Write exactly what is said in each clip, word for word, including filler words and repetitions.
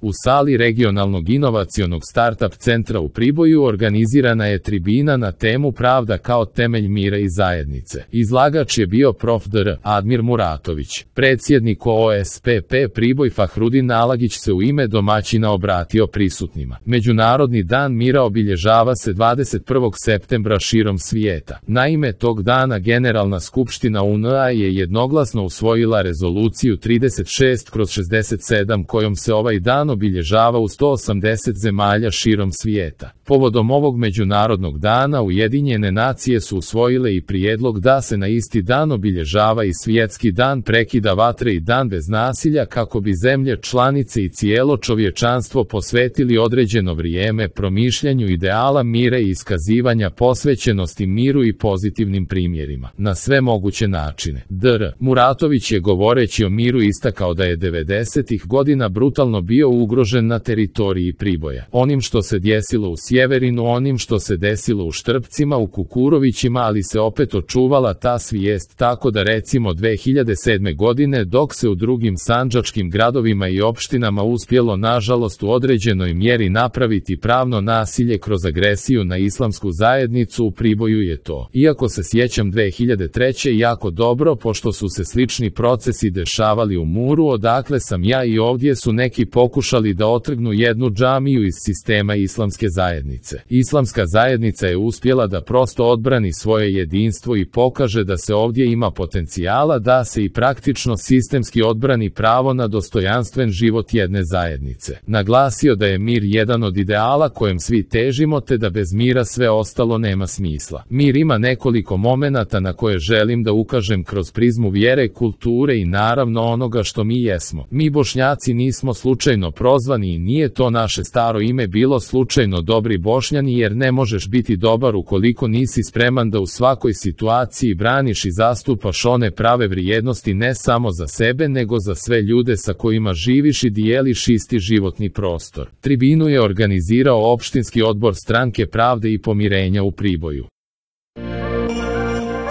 U sali regionalnog inovacionog startup centra u Priboju organizirana je tribina na temu Pravda kao temelj mira i zajednice. Izlagač je bio prof dr Admir Muratović. Predsjednik O S P P Priboj Fahrudin Nalagić se u ime domaćina obratio prisutnima. Međunarodni dan mira obilježava se dvadeset prvog septembra širom svijeta. Naime, tog dana Generalna skupština U N A je jednoglasno usvojila rezoluciju trideset šest kroz šezdeset sedam kojom se ovaj dan obilježava u sto osamdeset zemalja širom svijeta. Povodom ovog međunarodnog dana Ujedinjene nacije su usvojile i prijedlog da se na isti dan obilježava i svjetski dan prekida vatre i dan bez nasilja kako bi zemlje članice i cijelo čovječanstvo posvetili određeno vrijeme promišljanju ideala mira i iskazivanja posvećenosti miru i pozitivnim primjerima, na sve moguće načine. dr Muratović je govoreći o miru istakao da je devedesetih godina brutalno bio ugrožen na teritoriji Priboja. Onim što se desilo u Sjeverinu, onim što se desilo u Štrpcima, u Kukurovićima, ali se opet očuvala ta svijest, tako da recimo dve hiljade sedme godine dok se u drugim sandžačkim gradovima i opštinama uspjelo nažalost u određenoj mjeri napraviti pravno nasilje kroz agresiju na islamsku zajednicu, u Priboju je to. Iako se sjećam dve hiljade treće jako dobro, pošto su se slični procesi dešavali u Muru odakle sam ja, i ovdje su neki pokušali da otrgnu jednu džamiju iz sistema islamske zajednice. Islamska zajednica je uspjela da prosto odbrani svoje jedinstvo i pokaže da se ovdje ima potencijala da se i praktično sistemski odbrani pravo na dostojanstven život jedne zajednice. Naglasio da je mir jedan od ideala kojem svi težimo te da bez mira sve ostalo nema smisla. Mir ima nekoliko momenata na koje želim da ukažem kroz prizmu vjere, kulture i naravno onoga što mi jesmo. Mi Bošnjaci nismo slučajno prozvani i nije to naše staro ime bilo slučajno dobri Bošnjani, jer ne možeš biti dobar ukoliko nisi spreman da u svakoj situaciji braniš i zastupaš one prave vrijednosti ne samo za sebe nego za sve ljude sa kojima živiš i dijeliš isti životni prostor. Tribinu je organizirao opštinski odbor Stranke pravde i pomirenja u Priboju.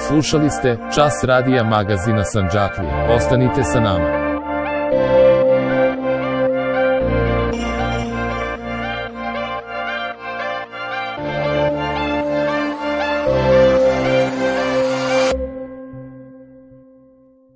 Slušali ste Čas radija magazina Sandžaklija. Ostanite sa nama.